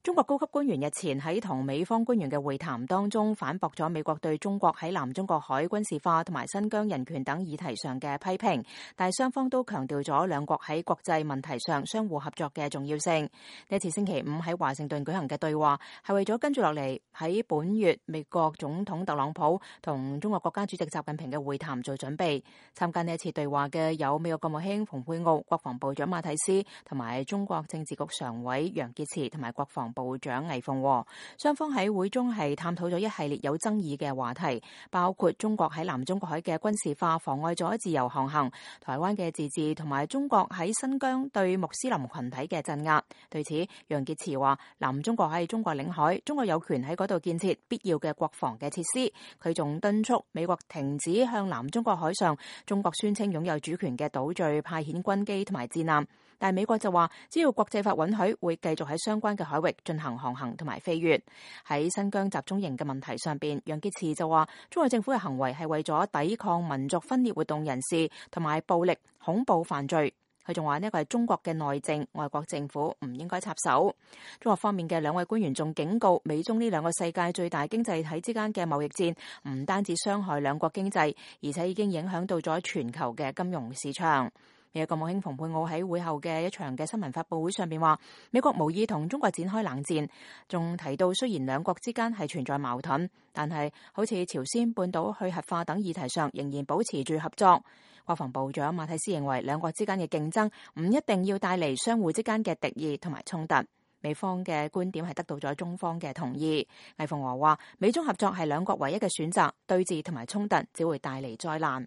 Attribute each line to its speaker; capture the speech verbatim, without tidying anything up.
Speaker 1: 中國高級官員日前喺同美方官員嘅會談當中，反駁咗美國對中國喺南中國海軍事化同埋新疆人權等議題上嘅批評，但係雙方都強調咗兩國喺國際問題上相互合作嘅重要性。呢次星期五喺華盛頓舉行嘅對話，係為咗跟住落嚟喺本月美國總統特朗普同中國國家主席習近平嘅會談做準備。參加呢一次對話嘅有美國國務卿蓬佩奧、國防部長馬蒂斯同埋中國政治局常委楊潔篪同埋國防部長魏鳳和。雙方喺會中係探討咗一系列有爭議嘅話題，包括中國喺南中國海嘅軍事化妨礙咗自由航行、台灣嘅自治同埋中國喺新疆對穆斯林群體嘅鎮壓。對此，楊潔篪話南中國係中國領海，中國有權喺嗰度建設必要嘅國防嘅設施。佢仲敦促美國停止向南中國海上中國宣稱擁有主權嘅島嶼派遣軍機同埋戰艦。但係美國就話，只要國際法允許，會繼續喺相關嘅海域進行航行同埋飛越。喺新疆集中營嘅問題上邊，楊潔篪就話，中國政府嘅行為係為咗抵抗民族分裂活動人士同埋暴力恐怖犯罪。佢仲話呢個係中國嘅內政，外國政府唔應該插手。中國方面嘅兩位官員仲警告，美中呢兩個世界最大經濟體之間嘅貿易戰唔單止傷害兩國經濟，而且已經影響到咗全球嘅金融市場。美國國務卿蓬佩奧喺會後嘅一場嘅新聞發佈會上邊話，美國無意同中國展開冷戰，仲提到雖然兩國之間係存在矛盾，但係好似朝鮮半島去核化等議題上仍然保持住合作。國防部長馬蒂斯認為，兩國之間嘅競爭唔一定要帶嚟相互之間嘅敵意同埋衝突。美方嘅觀點係得到咗中方嘅同意。魏鳳和話，美中合作係兩國唯一嘅選擇，對峙同埋衝突只會帶嚟災難。